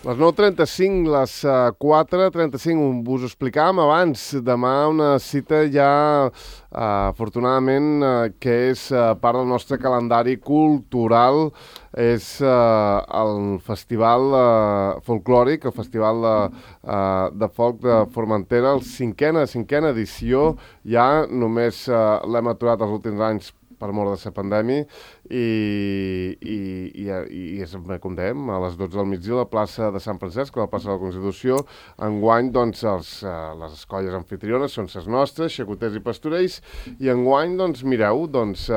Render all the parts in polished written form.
Les 9:35, les 4:35, us ho explicàvem abans. Demà una cita ja, afortunadament, que és part del nostre calendari cultural. És el Festival Folclòric, el Festival de Folk de Formentera, el cinquena edició. Ja només l'hem aturat els últims anys per mort de la pandèmia, i és, com dèiem, a les 12 del migdia a la plaça de Sant Francesc, a la plaça de la Constitució. Enguany, doncs, les colles anfitriones són les nostres, xacoters i pastorells, i enguany, doncs, mireu, doncs,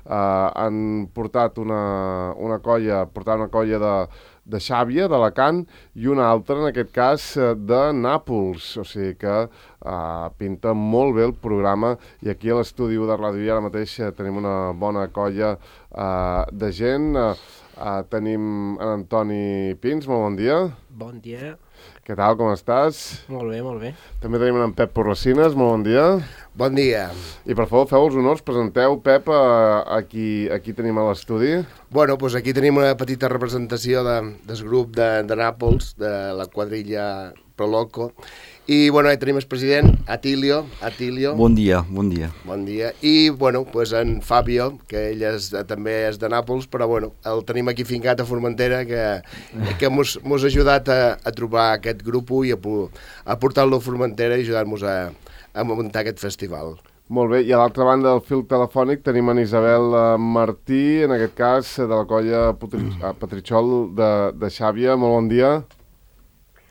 han portat una colla de Xàbia, d'Alacant, i una altra, en aquest cas, de Nàpols. O sigui que pinta molt bé el programa, i aquí a l'estudi de Ràdio ara mateix tenim una bona colla de gent. Tenim en Antoni Pins, molt bon dia. Bon dia. Què tal, com estàs? Molt bé, molt bé. També tenim en Pep Porracines, molt bon dia. Bon dia. I per favor, feu els honors, presenteu, Pep, aquí tenim a l'estudi. Bueno, doncs aquí tenim una petita representació del grup de Nàpols, de la quadrilla Proloco. I, bueno, tenim el president, Atilio. Bon dia, bon dia. Bon dia. I, bueno, doncs en Fabio, que ell també és de Nàpols, però, bueno, el tenim aquí fincat a Formentera, que mos ha ajudat a trobar aquest grup i a portar-lo a Formentera i ajudar-nos a muntar aquest festival. Molt bé, i a l'altra banda del fil telefònic tenim en Isabel Martí, en aquest cas de la colla Petritxol de Xàbia. Molt bon dia.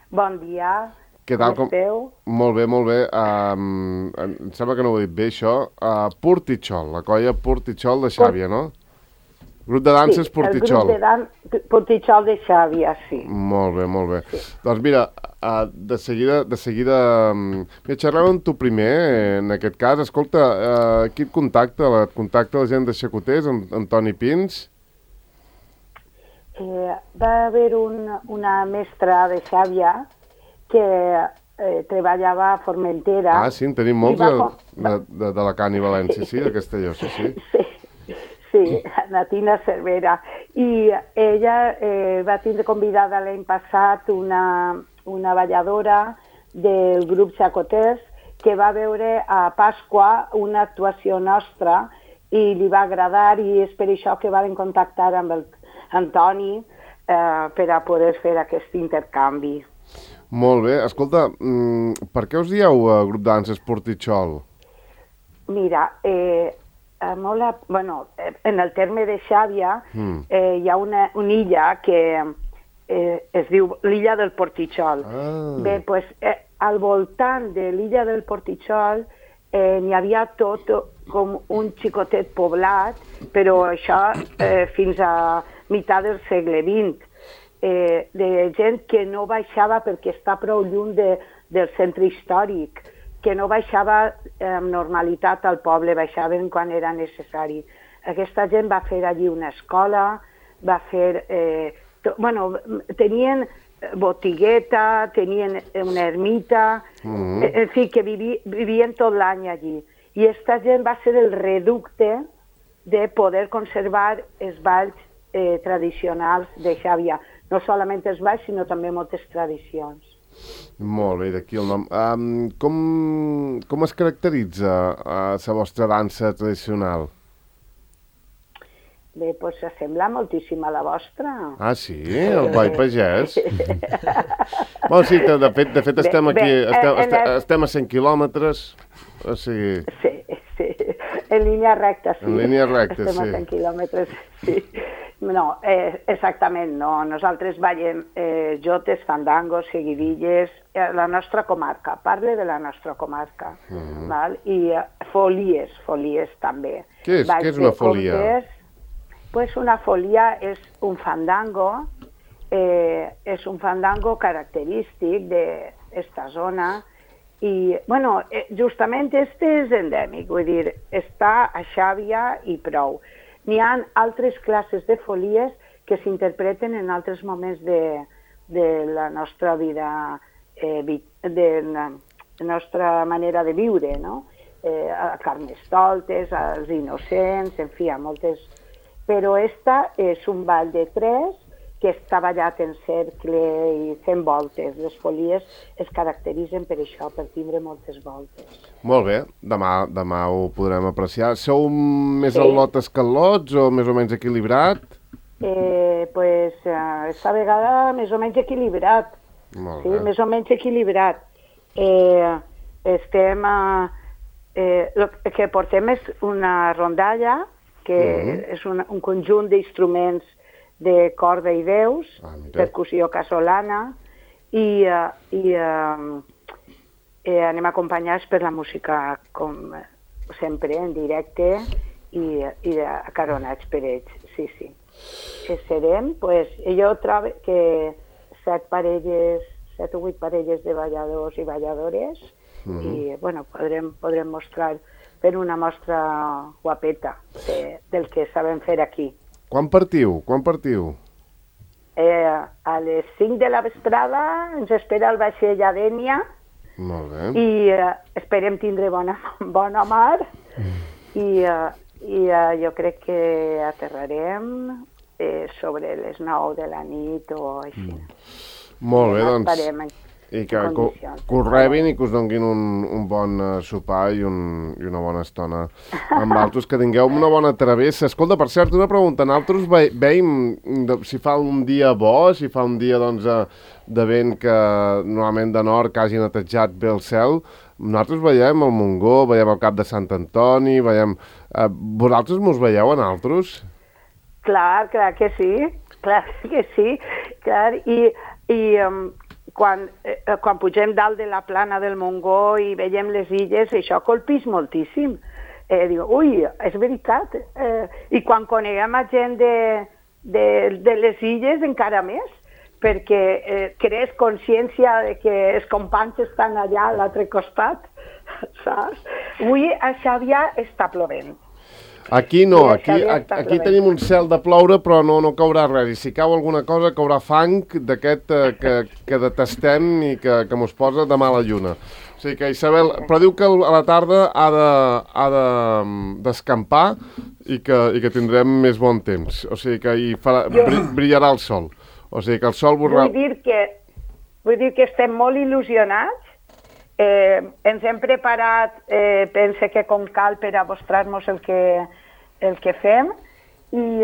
Bon dia. Què tal? Com esteu? Molt bé, molt bé. Em sembla que no ho he dit bé, això. Portitxol, la colla Portitxol de Xàbia, no? Grup de danses sí, Portitxol. El grup de Portitxol de Xàbia, sí. Molt bé, molt bé. Sí. Doncs mira, de seguida... Mira, xerrem amb tu primer, en aquest cas. Escolta, qui et contacta? Et contacta la gent de Xacoters, Antoni Pins? Va haver una mestra de Xàbia que treballava a Formentera. Ah, sí, en tenim molts d'Alacant i València, sí, de Castelló, sí. Sí, Natina Cervera. I ella va tindre convidada l'any passat una balladora del grup Xacoters que va veure a Pasqua una actuació nostra i li va agradar, i és per això que van contactar amb el Antoni per a poder fer aquest intercanvi. Molt bé. Escolta, per què us dieu grup de danses Portitxol? Mira, en el terme de Xàbia hi ha una illa que es diu l'illa del Portitxol. Bé, doncs, al voltant de l'illa del Portitxol n'hi havia tot com un xicotet poblat, però això fins a meitat del segle XX. De gent que no baixava perquè està prou lluny del centre històric, que no baixava amb normalitat al poble, baixaven quan era necessari. Aquesta gent va fer allí una escola, va fer... tenien botigueta, tenien una ermita, en fi, que vivien tot l'any allí. I aquesta gent va ser el reducte de poder conservar els balls tradicionals de Xàbia. No solament els balls, sinó també moltes tradicions. Molt bé, d'aquí el nom. Com es caracteritza la vostra dansa tradicional? Bé, doncs s'assembla moltíssim a la vostra. Ah, sí? El ball pagès? Bueno, sí, de fet estem aquí, estem a 100 quilòmetres, o sigui... Sí, en línia recta, sí. En línia recta, sí. Estem a 100 quilòmetres, sí. No, exactament no. Nosaltres ballem jotes, fandangos, seguidilles, la nostra comarca, parle de la nostra comarca, val? I folies també. Què és una folia? Pues una folia és un fandango, característic d'esta zona, i, bueno, justament este és endèmic, vull dir, està a Xàbia i prou. N'hi ha altres classes de folies que s'interpreten en altres moments de la nostra vida, de la nostra manera de viure, no? A Carnestoltes, als Innocents, en fi, a moltes... Però esta és un ball de tres que està ballat en cercle i fent voltes. Les folies es caracteritzen per això, per tindre moltes voltes. Molt bé, demà ho podrem apreciar. Sou més al·lotes que al·lots o més o menys equilibrat? Esta vegada més o menys equilibrat. Molt bé. Sí, més o menys equilibrat. El que portem és una rondalla, que és un conjunt d'instruments de corda i veus, percussió casolana, i anem acompanyats per la música, com sempre, en directe, i acaronats per ells, sí. Serem, jo trobo que 7 o 8 parelles de balladors i balladores, i, podrem mostrar, fer una mostra guapeta del que sabem fer aquí. Quan partiu? A les 5 de la vesprada ens espera el vaixell a Dénia. Molt bé. I esperem tindre bona mar. I jo crec que aterrarem sobre les 9 de la nit o així. Molt bé, doncs. I que us rebin i que us donguin un bon sopar i una bona estona amb altres, que tingueu una bona travessa. Escolta, per cert, una pregunta. Nosaltres veiem si fa un dia bo, si fa un dia de vent que normalment de nord que hagi netejat bé el cel. Nosaltres veiem el Montgó, veiem el Cap de Sant Antoni, veiem... Vosaltres mos veieu a nosaltres? Clar que sí. Clar, i quan pugem dalt de la plana del Montgó i veiem les illes, això colpís moltíssim. Diu, ui, és veritat. I quan coneguem a gent de les illes, encara més, perquè crees consciència de que els companys estan allà a l'altre costat, saps? Avui a Xàbia està plovent. Aquí no, aquí tenim un cel de ploure, però no caurà res. I si cau alguna cosa, caurà fang d'aquest que detestem i que mos posa de mala lluna. O sigui que, Isabel, però diu que a la tarda ha d'escampar i que tindrem més bon temps. O sigui que brillarà el sol. O sigui que el sol... Vull dir que estem molt il·lusionats. Ens hem preparat, pense que com cal, per a mostrar-nos el que fem, i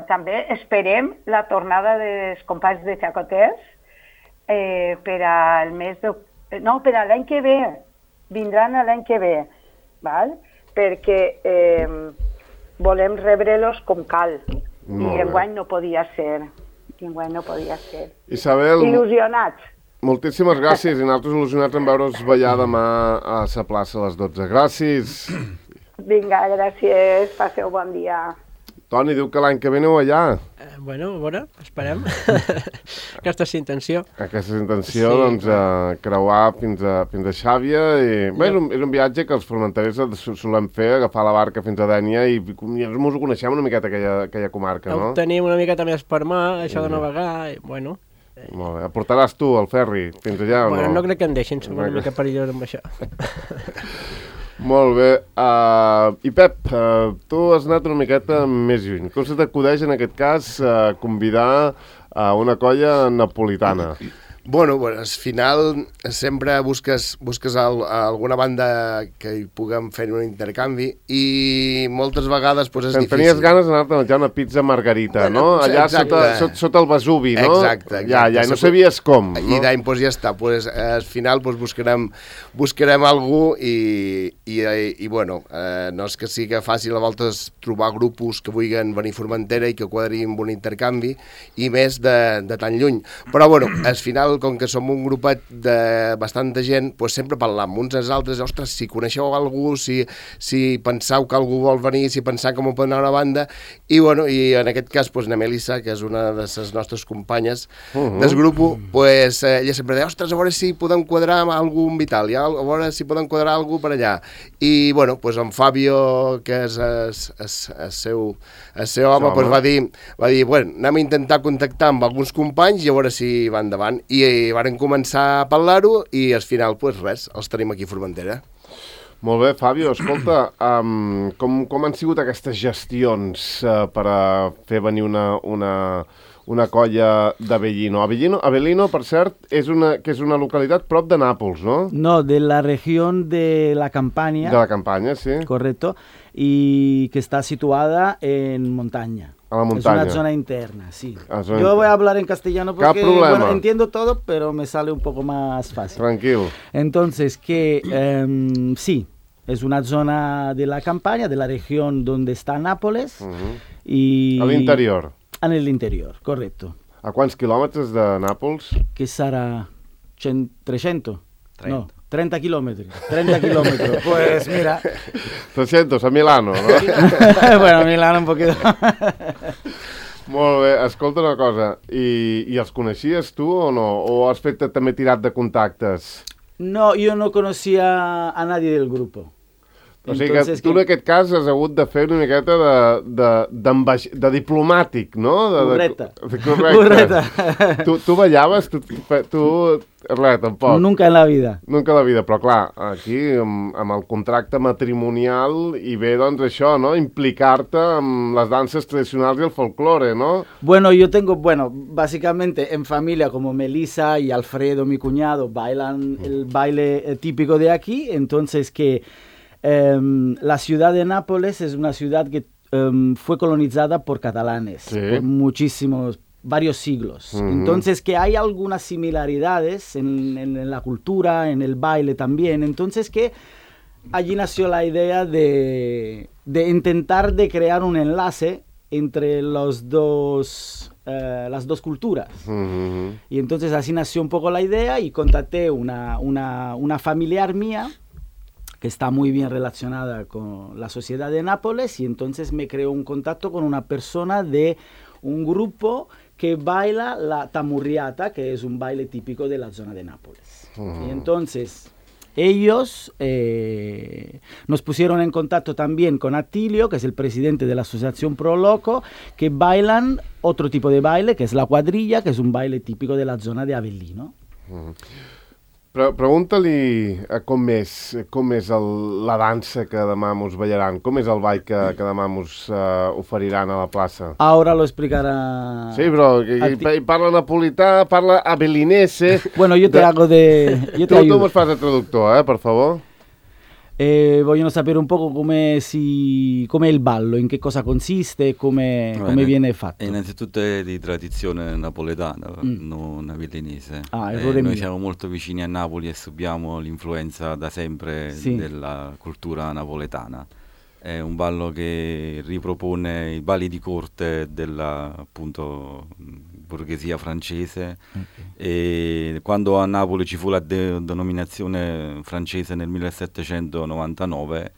també esperem la tornada dels companys de Xacoters per a l'any que ve. Vindran l'any que ve, val? Perquè volem rebre-los com cal, i enguany no podia ser. Isabel... Il·lusionats. Moltíssimes gràcies, i nosaltres il·lusionats en veure'ls ballar demà a la plaça a les 12. Gràcies. Vinga, gràcies. Passeu bon dia. Toni, diu que l'any que ve aneu allà. A veure, esperem. Aquesta és l'intenció. Aquesta és l'intenció, doncs, creuar fins a Xàbia. Bé, és un viatge que els formenterers solem fer, agafar la barca fins a Dénia, i ens ho coneixem una miqueta, aquella comarca, no? Ho tenim una miqueta més per mà, això de navegar, i bueno... Molt bé. Portaràs tu el ferri fins allà o no? Bueno, no crec que em deixin, som una mica perillós amb això. Molt bé. I Pep, tu has anat una miqueta més lluny. Com se t'acudeix en aquest cas convidar a una colla napolitana? Bueno, al final sempre busques alguna banda que hi puguem fer un intercanvi, i moltes vegades és difícil. Tenies ganes d'anar-te a menjar una pizza margarita, no? Allà sota el Vesuvi, no? Exacte. Ja, i no sabies com, no? I d'any ja està. Al final buscarem algú, i bueno, no és que sigui fàcil a voltes trobar grupos que vulguin venir a Formentera i que quadrin un intercanvi, i més de tan lluny. Però bueno, al final, com que som un grupet de bastanta gent, sempre parlam uns als altres. Ostres, si coneixeu algú, si penseu que algú vol venir, si penseu com pot anar a una banda, i bueno, i en aquest cas na Melissa, que és una de les nostres companyes del grup, ella sempre deia, ostres, a veure si podem quadrar amb algú en Vital, a veure si podem quadrar algú per allà. I bueno, en Fabio, que és el seu home, va dir, bueno, anem a intentar contactar amb alguns companys i a veure si va endavant. I varen començar a parlar-ho, i al final, res, els tenim aquí a Formentera. Molt bé, Fabio, escolta, com han sigut aquestes gestions per a fer venir una una colla d'Avellino. Avellino, per cert, és una localitat prop de Nàpols, no? No, de la regió de la Campania. De la Campanya, sí. Correcto, y que está situada en montaña. A la montaña. Es una zona interna, sí. Yo voy a hablar en castellano porque bueno, entiendo todo, pero me sale un poco más fácil. Tranquilo. Entonces, sí, es una zona de la Campania, de la región donde está Nápoles. Y a l'interior. En el interior, correcto. A quants quilòmetres de Nàpols? Que serà 300? 30. No, 30 kilómetros. 30 kilómetros. Pues mira. 300, a Milano, no? Bueno, Milano un poquito. Molt bé, escolta una cosa, i els coneixies tu o no? O has fet també tirat de contactes? No, yo no conocía a nadie del grupo. O sigui que tu en aquest cas has hagut de fer una miqueta de diplomàtic, no? Correcte. Correcte. Tu ballaves? Res, tampoc. Nunca en la vida. Nunca en la vida, però clar, aquí amb el contracte matrimonial hi ve doncs això, no? Implicar-te amb les danses tradicionals i el folclore, no? Bueno, básicamente en familia como Melissa y Alfredo, mi cuñado, bailan el baile típico de aquí, entonces que la ciudad de Nápoles es una ciudad que fue colonizada por catalanes, sí, por varios siglos. Entonces que hay algunas similaridades en la cultura, en el baile también. Entonces que allí nació la idea de intentar de crear un enlace entre las dos culturas. Y entonces así nació un poco la idea y contacté una familiar mía que está muy bien relacionada con la sociedad de Nápoles, y entonces me creó un contacto con una persona de un grupo que baila la tamurriata, que es un baile típico de la zona de Nápoles. Y entonces ellos nos pusieron en contacto también con Attilio, que es el presidente de la asociación Pro Loco, que bailan otro tipo de baile, que es la quadrilla, que es un baile típico de la zona de Avellino. Pregunta-li com és la dansa que demà mos ballaran, com és el ball que demà mos oferiran a la plaça. Ahora lo explicará. Sí, però parla napolità, parla avellinese. Bueno, yo te hago de... Tu mos fas de traductor, per favor. Vogliono sapere un poco com'è il ballo, in che cosa consiste, come viene fatto. Innanzitutto è di tradizione napoletana, non avellinese. Noi siamo molto vicini a Napoli e subiamo l'influenza da sempre della cultura napoletana. È un ballo che ripropone i balli di corte della appunto borghesia francese, e quando a Napoli ci fu la denominazione francese nel 1799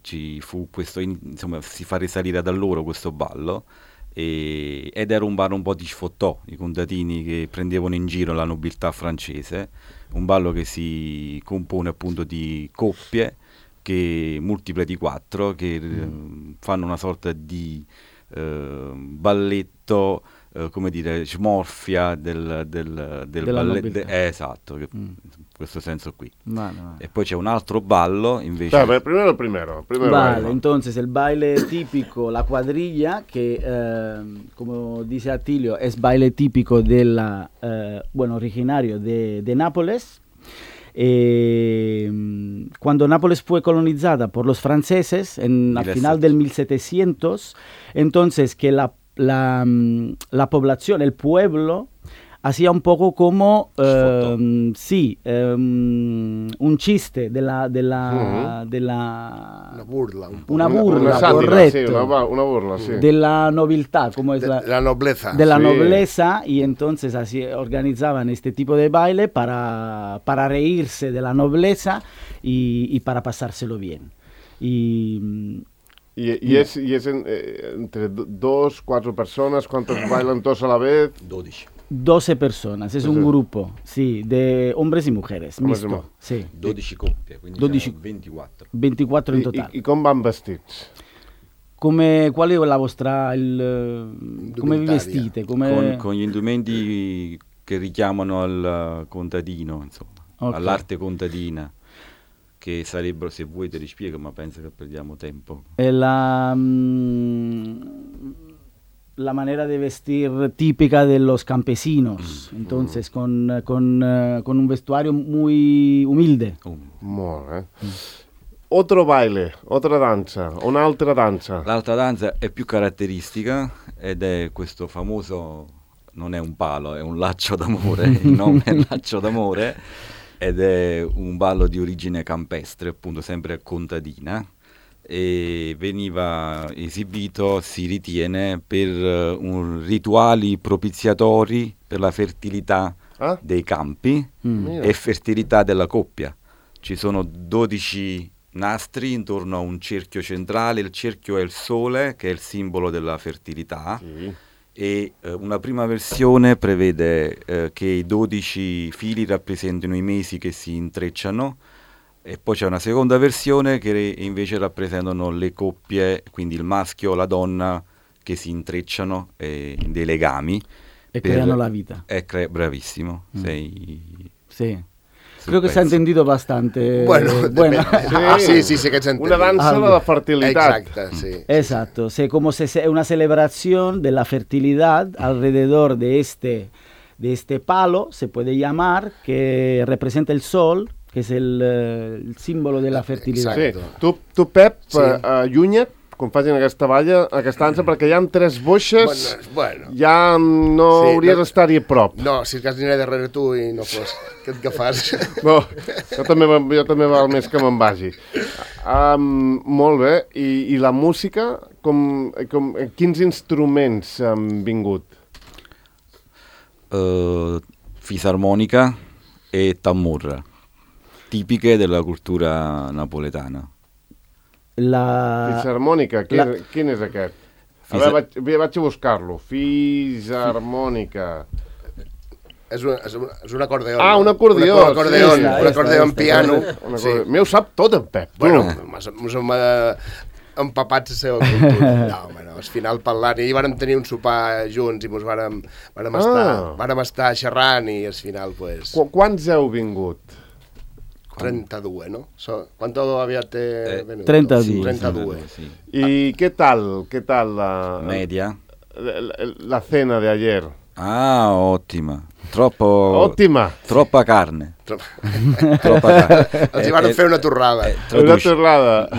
ci fu questo, insomma, si fa risalire da loro questo ballo, ed era un ballo un po' di sfottò, i contadini che prendevano in giro la nobiltà francese, un ballo che si compone appunto di coppie che multiple di 4 che fanno una sorta di balletto, come dire, smorfia del balletto, esatto, in questo senso qui. Vale. E poi c'è un altro ballo invece. Primero vale, entonces el baile típico, la cuadrilla, que como dice Attilio, es baile típico originario de Nápoles. Cuando Nápoles fue colonizada por los franceses al final del 1700, entonces que la población, el pueblo, hacía un poco como un chiste de la una burla, correcto, una burla, sí, de la nobiltad, como es la nobleza, de la nobleza, y entonces así organizaban este tipo de baile para reírse de la nobleza y para pasárselo bien. I és entre 2, 4 persones, quantos bailan tots a la vez? 12 personas, es un grupo, sí, de hombres y mujeres, mixto. Sí. 12 coppie, quindi 24. 24 in totale. I com van vestits? Qual è la vostra... come vi vestite? Con gli indumenti che richiamano al contadino, insomma, all'arte contadina. Che sarebbero, se vuoi te li spiego, ma penso che perdiamo tempo. La la manera de vestir típica de los campesinos, entonces con un vestuario muy humilde. Molt bé. Otro baile, otra danza, un'altra danza. L'altra danza è più caratteristica ed è questo famoso, non è un palo, è un laccio d'amore, il nome è laccio d'amore, ed è un ballo di origine campestre, appunto sempre contadina, e veniva esibito, si ritiene, per rituali propiziatori per la fertilità dei campi e fertilità della coppia. Ci sono 12 nastri intorno a un cerchio centrale, il cerchio è il sole, che è il simbolo della fertilità, e una prima versione prevede che i 12 fili rappresentino i mesi che si intrecciano, e poi c'è una seconda versione che invece rappresentano le coppie, quindi il maschio o la donna che si intrecciano dei legami. E creano la vita. Bravissimo, Sì. Creo que se ha entendido bastante. Bueno. Sí, que se ha entendido. Una danza de la fertilidad. Exacto, sí. Exacto, como una celebración de la fertilidad alrededor de este palo, se puede llamar, que representa el sol, que es el símbolo de la fertilidad. Sí. Tu Pep, allunya't quan facin aquesta dansa, perquè hi ha 3 boixes, ja no hauries d'estar-hi a prop. No, si és cas aniré darrere tu i no fos que et agafàs. No, jo també val més que me'n vagi. Molt bé, i la música, quins instruments han vingut? Fisarmonica e tamurra, tipiche della cultura napoletana. Fisarmònica, quin és aquest? A veure, vaig a buscar-lo. Fisarmònica. És un acordeó. Ah, un acordeó. Un acordeó en piano. M'ho sap tot, en Pep. Bueno, ens hem empapat la seva cultura. No, al final parlant, i vàrem tenir un sopar junts i vàrem estar xerrant i al final, pues... Quants heu vingut? 32, ¿no? ¿Cuánto habías venido? 32. Sí, 32. Sí. ¿Y qué tal la... Media. La cena de ayer? Ah, ottima. Troppa carne. Ci vanno a fare una torrada.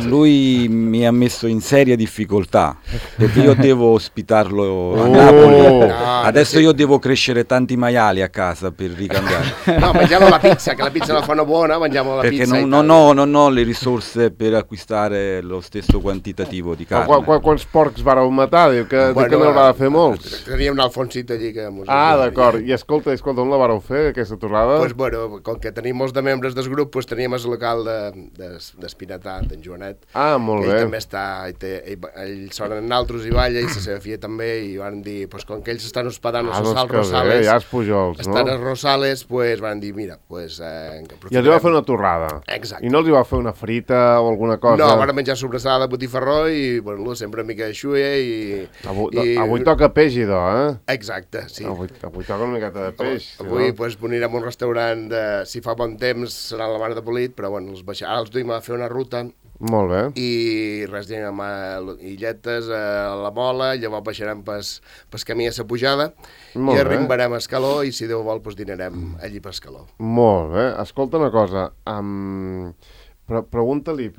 Lui mi ha messo in seria difficoltà perché io devo ospitarlo a Napoli. Adesso io devo crescere tanti maiali a casa per ricambiare. No, mangiamo la pizza, che la pizza la fanno buona, mangiamo la perché pizza. Perché non ho le risorse per acquistare lo stesso quantitativo di carne. Quants porcs vareu matar? Diu que no haurà de fer molts. Teníem un Alfonsito allí que... d'acord. I escolta, on la vareu fer, aquesta torrada? Pues bueno, com que tenim molts de membres del grup, pues teníem el local d'Espinatat, d'en Joanet. Molt bé. Ell també està, ell sona en altres i balla, i la seva filla també, i van dir, pues com que ells estan hospedant a Sal Rosales, ja els Pujols, no? Estan a Rosales, pues van dir, mira, pues... I els va fer una torrada. Exacte. I no els va fer una frita o alguna cosa? No, van menjar sobrassada de botifarró i, bueno, sempre una mica de xuia i... Avui toca peix, idò, Exacte, sí. Avui toca una miqueta de peix. Avui, pues, anirem a un restaurant si fa bon temps serà la Mare de Polit, però bueno, ara els duim a fer una ruta. Molt bé. I res, anem a Illetes, a la Mola, llavors baixarem pas camí a la pujada i arribarem a Escaló i si Déu vol pues dinarem allí per Escaló. Molt bé. Escolta una cosa, pregunta-li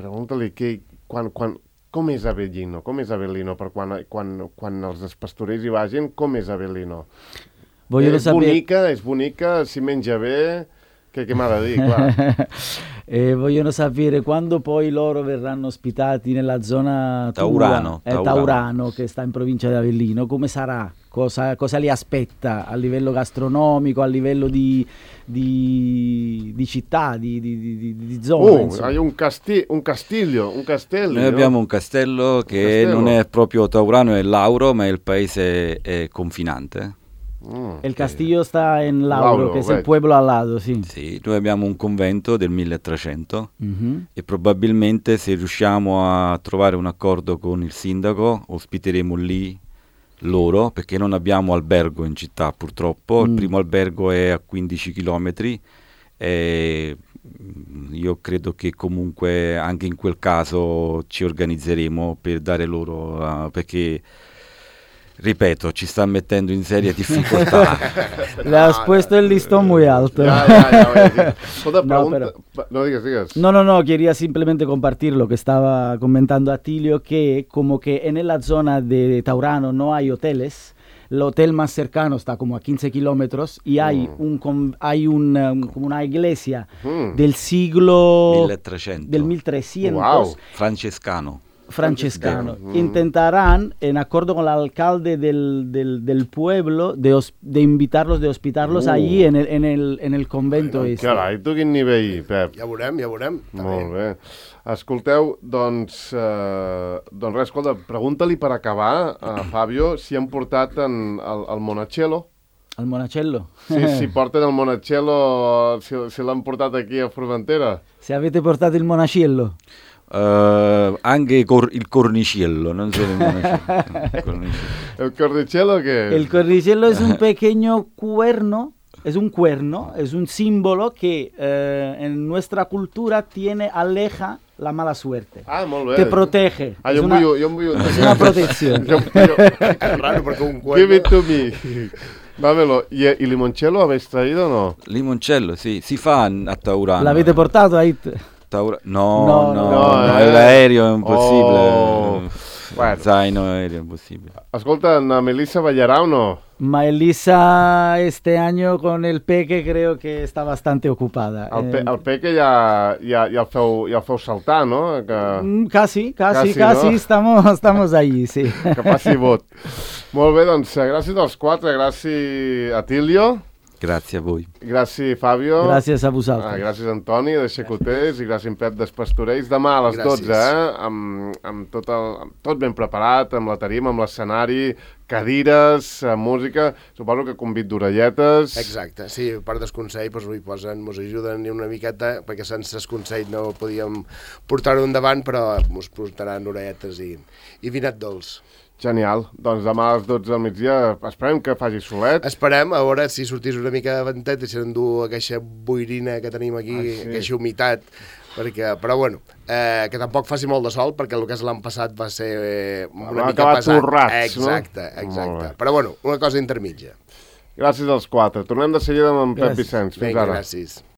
com és Avellino? Com és Avellino per quan els pastorers hi vagin? Com és Avellino? És bonica, si menja bé, che m'ha de dir, clar. Vogliono sapere quando poi loro verranno ospitati nella zona Taurano, Taurano, che sta in provincia di Avellino, come sarà? Cosa li aspetta a livello gastronomico, a livello di città, di zona? Hai un castello. Noi abbiamo un castello che non è proprio Taurano, è Lauro, ma il paese è confinante. El castillo sta in Lauro, che è il pueblo al lato, sì. Sì, noi abbiamo un convento del 1300 e probabilmente se riusciamo a trovare un accordo con il sindaco ospiteremo lì loro, perché non abbiamo albergo in città purtroppo. Il primo albergo è a 15 chilometri e io credo che comunque anche in quel caso ci organizzeremo per dare loro perché Ripeto, ci sta mettendo in seria difficoltà. Le has puesto el listón muy alto. Ya. No, digas. No, quería simplemente compartir lo que estaba comentando Atilio, que como que en la zona de Taurano no hay hoteles. El hotel más cercano está como a 15 kilómetros y hay como una iglesia del siglo 1300. del 1300. Wow. Francescano. Intentarán, en acuerdo con el alcalde del pueblo, de invitarlos, de hospitarlos allí en el convento. Carai, tu quin nivell, Pep. Ja veurem. Molt bé. Escolteu, doncs res, escolta, pregunta-li per acabar a Fabio si han portat el Monachello. El Monachello? Si porten el Monachello, si l'han portat aquí a Formentera. Se avete portato il Monachello? Anche il cornicello, non solo il Monachello. ¿El cornicello qué es? El cornicello es un pequeño cuerno. Es un cuerno, es un símbolo que en nuestra cultura aleja la mala suerte. Ah, molt bé. Te protege. Ah, jo em vull es una protección. Raro, porque un cuerno... Give it to me. Dámelo. ¿Y limoncello habéis traído o no? Limoncello, sì, si fa a Taurano. ¿L'avete portato ahí? No, l'aereo è impossibile. Bueno. Zaino aereo, impossibile. Escolta, ¿a Melissa ballarà o no? Melissa este año con el Peque creo que está bastante ocupada. El Peque ja el feu saltar, no? Casi, no? estamos allí, sí. Que passi vot. Molt bé, doncs gràcies als quatre, gràcies Atilio. Gràcies a voi. Gràcies Fabio. Gràcies a vosaltres. Gràcies Antoni de Xacotés i gràcies Pep d'Espastorells. Demà a les 12, amb tot ben preparat, amb la tarima, amb l'escenari, cadires, música, suposo que convit d'orelletes. Exacte, sí, per desconsell doncs, mos ajuden una miqueta, perquè sense desconsell no podíem portar-ho endavant, però mos portaran orelletes i vinet dolç. Genial. Doncs demà a les 12 del migdia esperem que faci solet. Esperem, a veure si sortís una mica de ventet i s'endú aquesta boirina que tenim aquí, aquesta humitat, però bueno, que tampoc faci molt de sol, perquè el que és l'any passat va ser una mica pesat. Torrats, exacte. Però bueno, una cosa intermitja. Gràcies als quatre. Tornem de seguida amb en Pep Vicenç. Fins ara. Gràcies.